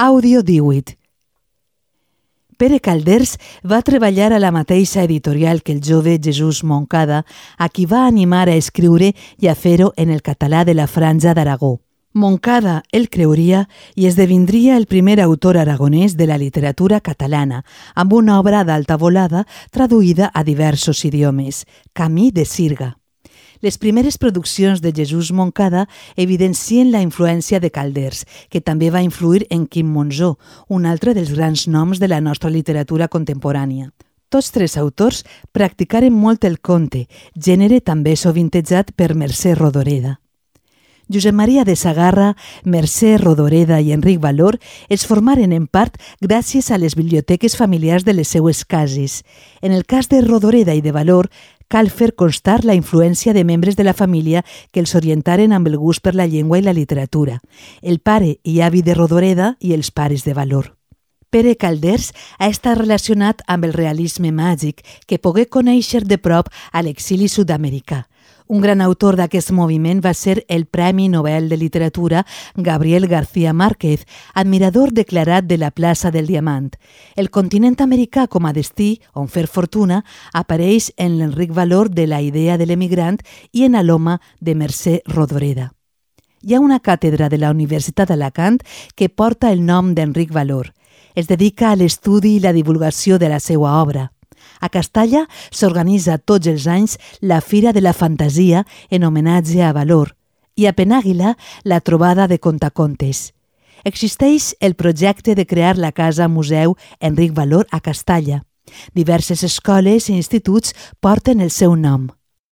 Àudio 18. Pere Calders va treballar a la mateixa editorial que el jove Jesús Moncada, a qui va animar a escriure i a fer-ho en el català de la Franja d'Aragó. Moncada el creuria i esdevindria el primer autor aragonès de la literatura catalana, amb una obra d'alta volada traduïda a diversos idiomes, Camí de Sirga. Les primeres produccions de Jesús Moncada evidencien la influència de Calders, que també va influir en Quim Monzó, un altre dels grans noms de la nostra literatura contemporània. Tots tres autors practicaren molt el conte, gènere també sovintejat per Mercè Rodoreda. Josep Maria de Sagarra, Mercè Rodoreda i Enric Valor es formaren en part gràcies a les biblioteques familiars de les seues cases. En el cas de Rodoreda i de Valor, cal fer constar la influència de membres de la família que els orientaren amb el gust per la llengua i la literatura, el pare i avi de Rodoreda i els pares de Valor. Pere Calders ha estat relacionat amb el realisme màgic, que pogué conèixer de prop a l'exili sud-americà. Un gran autor d'aquest moviment va ser el Premi Nobel de Literatura Gabriel García Márquez, admirador declarat de la plaça del Diamant. El continent americà com a destí, on fer fortuna, apareix en l'Enric Valor de La idea de l'emigrant i en Aloma de Mercè Rodoreda. Hi ha una càtedra de la Universitat d'Alacant que porta el nom d'Enric Valor. Es dedica a l'estudi i la divulgació de la seva obra. A Castalla s'organitza tots els anys la Fira de la Fantasia en homenatge a Valor i a Penàguila la trobada de contacontes. Existeix el projecte de crear la Casa Museu Enric Valor a Castalla. Diverses escoles i instituts porten el seu nom.